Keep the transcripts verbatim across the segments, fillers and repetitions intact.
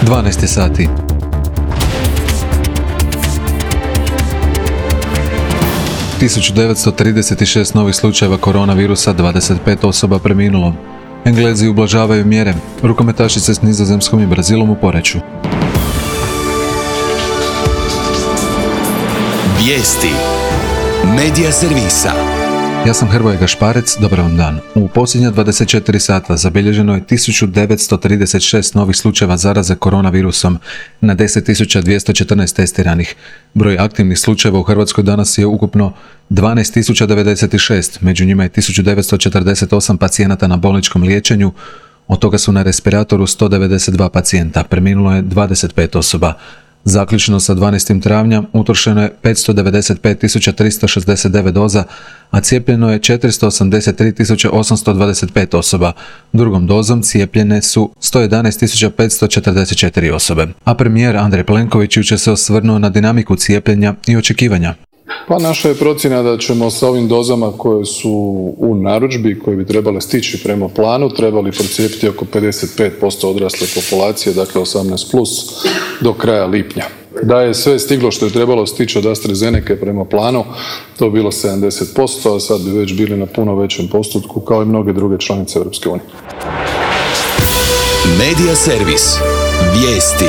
dvanaest sati. tisuću devetsto trideset šest novih slučajeva koronavirusa, dvadeset pet osoba preminulo. Englezi ublažavaju mjere. Rukometašice s Nizozemskom i Brazilom u poreću. Vijesti Medija servisa. Ja sam Hrvoje Gašparec, dobar vam dan. U posljednja dvadeset četiri sata zabilježeno je tisuću devetsto trideset šest novih slučajeva zaraze koronavirusom na deset tisuća dvjesto četrnaest testiranih. Broj aktivnih slučajeva u Hrvatskoj danas je ukupno dvanaest tisuća devedeset šest, među njima je tisuću devetsto četrdeset osam pacijenata na bolničkom liječenju, od toga su na respiratoru sto devedeset dva pacijenta, preminulo je dvadeset pet osoba. Zaključno sa dvanaestim travnja utrošeno je petsto devedeset pet tisuća tristo šezdeset devet doza, a cijepljeno je četiristo osamdeset tri tisuće osamsto dvadeset pet osoba. Drugom dozom cijepljene su sto jedanaest tisuća petsto četrdeset četiri osobe. A premijer Andrej Plenković jučer se osvrnuo na dinamiku cijepljenja i očekivanja. Pa naša je procjena da ćemo sa ovim dozama koje su u narudžbi, koje bi trebale stići prema planu, trebali procijepiti oko pedeset pet posto odrasle populacije, dakle osamnaest plus, do kraja lipnja. Da je sve stiglo što je trebalo stići od AstraZeneca prema planu, to bilo sedamdeset posto, a sad bi već bili na puno većem postotku, kao i mnoge druge članice Europske unije. Medija servis. Vijesti.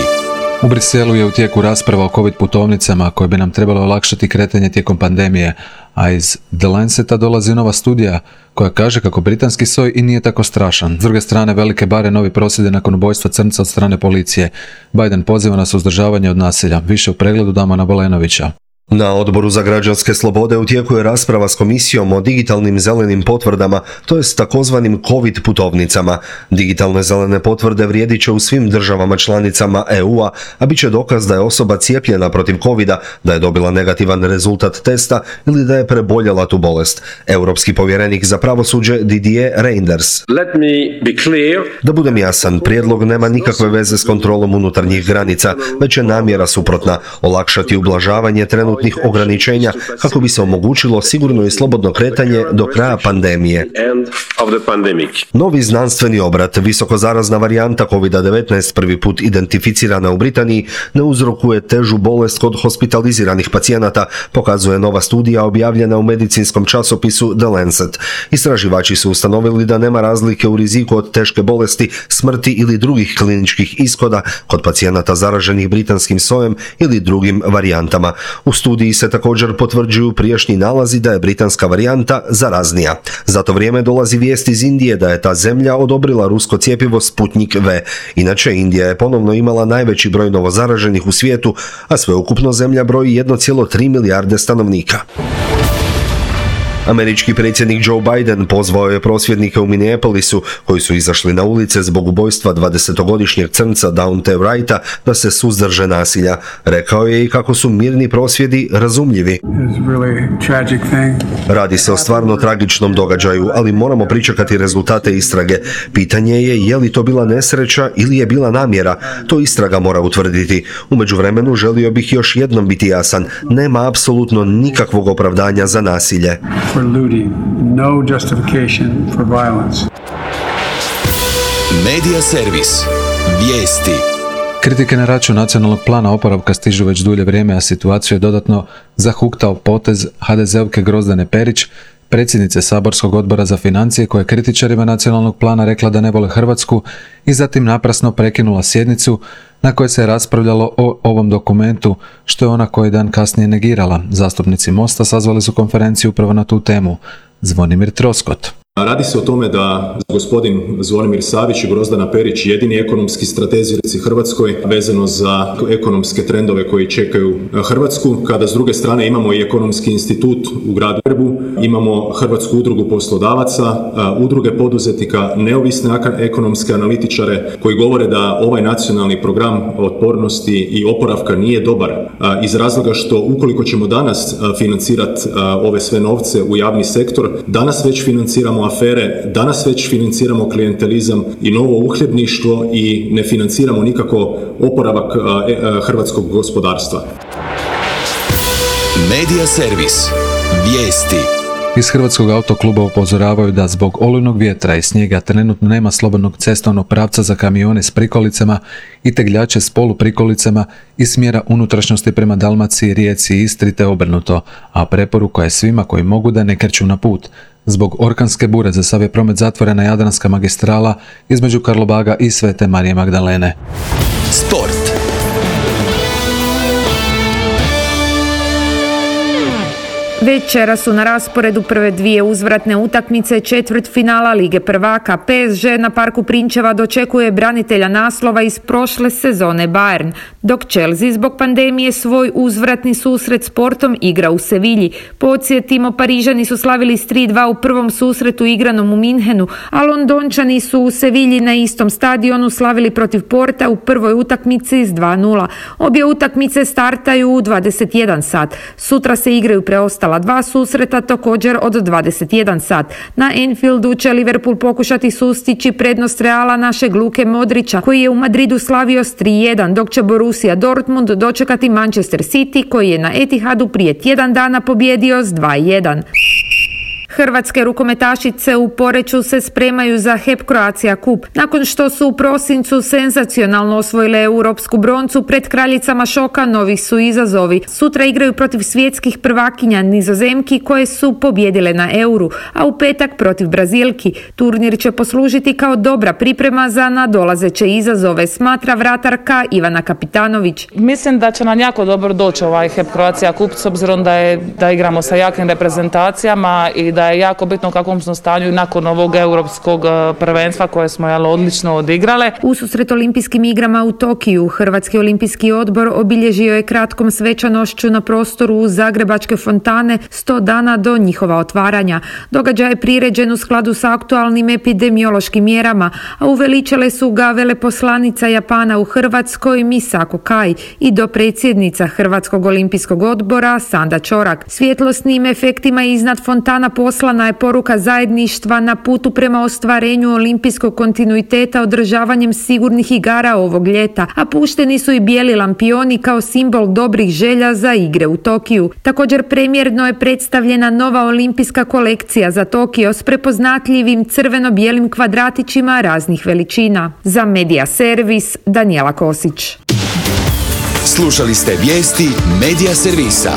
U Briselu je u tijeku rasprava o COVID putovnicama koje bi nam trebalo olakšati kretanje tijekom pandemije, a iz The Lanceta dolazi nova studija koja kaže kako britanski soj i nije tako strašan. S druge strane, velike bare novi prosvjede nakon ubojstva crnca od strane policije. Biden poziva na suzdržavanje od nasilja. Više u pregledu Damana Bolenovića. Na Odboru za građanske slobode u tijeku je rasprava s komisijom o digitalnim zelenim potvrdama, to jest takozvanim COVID putovnicama. Digitalne zelene potvrde vrijedit će u svim državama članicama E U-a, a bit će dokaz da je osoba cijepljena protiv covida, da je dobila negativan rezultat testa ili da je preboljela tu bolest. Europski povjerenik za pravosuđe Didier Reynders. Let me be clear. Da budem jasan, prijedlog nema nikakve veze s kontrolom unutarnjih granica, već je namjera suprotna, olakšati ublažavanje trenutnih ograničenja kako bi se omogućilo sigurno i slobodno kretanje do kraja pandemije. Novi znanstveni obrat, visokozarazna varijanta kovid devetnaest prvi put identificirana u Britaniji, ne uzrokuje težu bolest kod hospitaliziranih pacijenata, pokazuje nova studija objavljena u medicinskom časopisu The Lancet. Istraživači su ustanovili da nema razlike u riziku od teške bolesti, smrti ili drugih kliničkih ishoda kod pacijenata zaraženih britanskim sojem ili drugim varijantama. U studiji se također potvrđuju prijašnji nalazi da je britanska varijanta zaraznija. Za to vrijeme dolazi vijest iz Indije da je ta zemlja odobrila rusko cjepivo Sputnik V. Inače, Indija je ponovno imala najveći broj novozaraženih u svijetu, a sveukupno zemlja broji jedan zarez tri milijarde stanovnika. Američki predsjednik Joe Biden pozvao je prosvjednike u Minneapolisu, koji su izašli na ulice zbog ubojstva dvadesetogodišnjeg crnca Daunte Wrighta, da se suzdrže nasilja. Rekao je i kako su mirni prosvjedi razumljivi. Radi se o stvarno tragičnom događaju, ali moramo pričekati rezultate istrage. Pitanje je je li to bila nesreća ili je bila namjera. To istraga mora utvrditi. U međuvremenu želio bih još jednom biti jasan. Nema apsolutno nikakvog opravdanja za nasilje. For looting, no justification for violence. Medija servis. Vijesti. Kritike na račun nacionalnog plana oporavka stižu već dulje vrijeme, a situaciju je dodatno zahuktao potez ha de zeovke Grozdane Perić, predsjednice Saborskog odbora za financije, koja je kritičarima nacionalnog plana rekla da ne vole Hrvatsku i zatim naprasno prekinula sjednicu na kojoj se je raspravljalo o ovom dokumentu, što je ona koji dan kasnije negirala. Zastupnici Mosta sazvali su konferenciju upravo na tu temu. Zvonimir Troskot. Radi se o tome da gospodin Zvonimir Savić i Grozdana Perić jedini ekonomski stratezi u Hrvatskoj vezano za ekonomske trendove koji čekaju Hrvatsku, kada s druge strane imamo i ekonomski institut u gradu Zagrebu, imamo Hrvatsku udrugu poslodavaca, udruge poduzetnika, neovisne ekonomske analitičare koji govore da ovaj nacionalni program otpornosti i oporavka nije dobar iz razloga što ukoliko ćemo danas financirati ove sve novce u javni sektor, danas već financiramo afere, danas već financiramo klijentelizam i novo uhljebništvo i ne financiramo nikako oporavak hrvatskog gospodarstva. Medija servis. Vijesti. Iz Hrvatskog autokluba upozoravaju da zbog olujnog vjetra i snijega trenutno nema slobodnog cestovnog pravca za kamione s prikolicama i tegljače s poluprikolicama iz smjera unutrašnjosti prema Dalmaciji, Rijeci i Istri te obrnuto, a preporuka je svima koji mogu da ne kreću na put. Zbog orkanske bure za sav je promet zatvorena Jadranska magistrala između Karlobaga i Svete Marije Magdalene. Sport. Večera su na rasporedu prve dvije uzvratne utakmice četvrtfinala Lige prvaka. P S G na Parku Prinčeva dočekuje branitelja naslova iz prošle sezone Bayern, dok Chelsea zbog pandemije svoj uzvratni susret s Portom igra u Sevilji. Podsjetimo, Parižani su slavili s tri dva u prvom susretu igranom u Minhenu, a Londončani su u Sevilji na istom stadionu slavili protiv Porta u prvoj utakmici s dva nula. Obje utakmice startaju u dvadeset jedan sat. Sutra se igraju preostala dva susreta također od dvadeset jedan sat. Na Anfieldu će Liverpool pokušati sustići prednost Reala našeg Luke Modrića, koji je u Madridu slavio s tri jedan, dok će Borussia Dortmund dočekati Manchester City, koji je na Etihadu prije tjedan dana pobjedio s dva jedan. Hrvatske rukometašice u Poreču se spremaju za H E P Croatia Cup. Nakon što su u prosincu senzacionalno osvojile europsku broncu, pred kraljicama šoka novi su izazovi. Sutra igraju protiv svjetskih prvakinja Nizozemki koje su pobjedile na Euru, a u petak protiv Brazilki. Turnir će poslužiti kao dobra priprema za nadolazeće izazove, smatra vratarka Ivana Kapitanović. Mislim da će nam jako dobro doći ovaj H E P Croatia Cup s obzirom da, je, da igramo sa jakim reprezentacijama i da je jako bitno u kakvom smo stanju nakon ovog europskog prvenstva koje smo jel, odlično odigrale. Ususret olimpijskim igrama u Tokiju, Hrvatski olimpijski odbor obilježio je kratkom svečanošću na prostoru Zagrebačke fontane sto dana do njihova otvaranja. Događaj je priređen u skladu sa aktualnim epidemiološkim mjerama, a uveličale su ga veleposlanica Japana u Hrvatskoj Misako Kai i dopredsjednica Hrvatskog olimpijskog odbora Sanda Čorak. Svjetlosnim efektima iznad fontana poslana je poruka zajedništva na putu prema ostvarenju olimpijskog kontinuiteta održavanjem sigurnih igara ovog ljeta, a pušteni su i bijeli lampioni kao simbol dobrih želja za igre u Tokiju. Također premjerno je predstavljena nova olimpijska kolekcija za Tokio s prepoznatljivim crveno-bijelim kvadratićima raznih veličina. Za Medija Servis, Danijela Kosić. Slušali ste vijesti Medija Servisa.